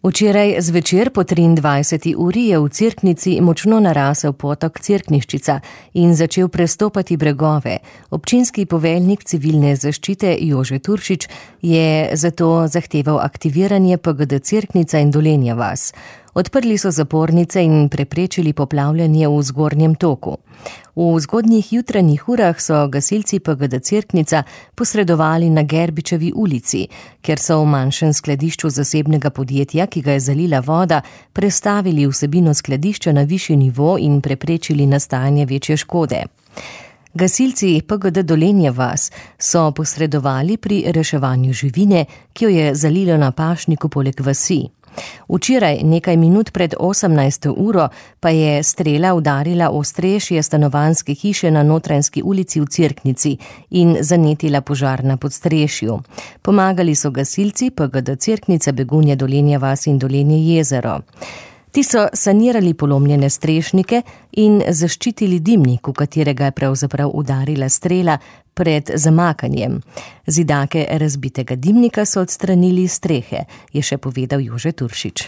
Včeraj zvečer po 23. uri je v Cerknici močno narasel potok Cerkniščica in začel prestopati bregove. Občinski poveljnik civilne zaščite Jože Turšič je zato zahteval aktiviranje PGD Cerknica in Dolenja vas. Odprli so zapornice in preprečili poplavljanje v zgornjem toku. V zgodnjih jutranjih urah so gasilci PGD Cerknica posredovali na Gerbičevi ulici, ker so v manjšem skladišču zasebnega podjetja, ki ga je zalila voda, prestavili vsebino skladišča na višji nivo in preprečili nastajanje večje škode. Gasilci PGD Dolenja vas so posredovali pri reševanju živine, ki jo je zalilo na pašniku poleg vasi. Včeraj, nekaj minut pred 18. uro, pa je strela udarila ostrešje stanovanjske hiše na Notranjski ulici v Cerknici in zanetila požar na podstrešju. Pomagali so gasilci PGD Cerknica, Begunje, Dolenja vas in Dolenje jezero. Ti so sanirali polomljene strešnike in zaščitili dimnik, v katerega je pravzaprav udarila strela pred zamakanjem. Zidake razbitega dimnika so odstranili iz strehe, je še povedal Jože Turšič.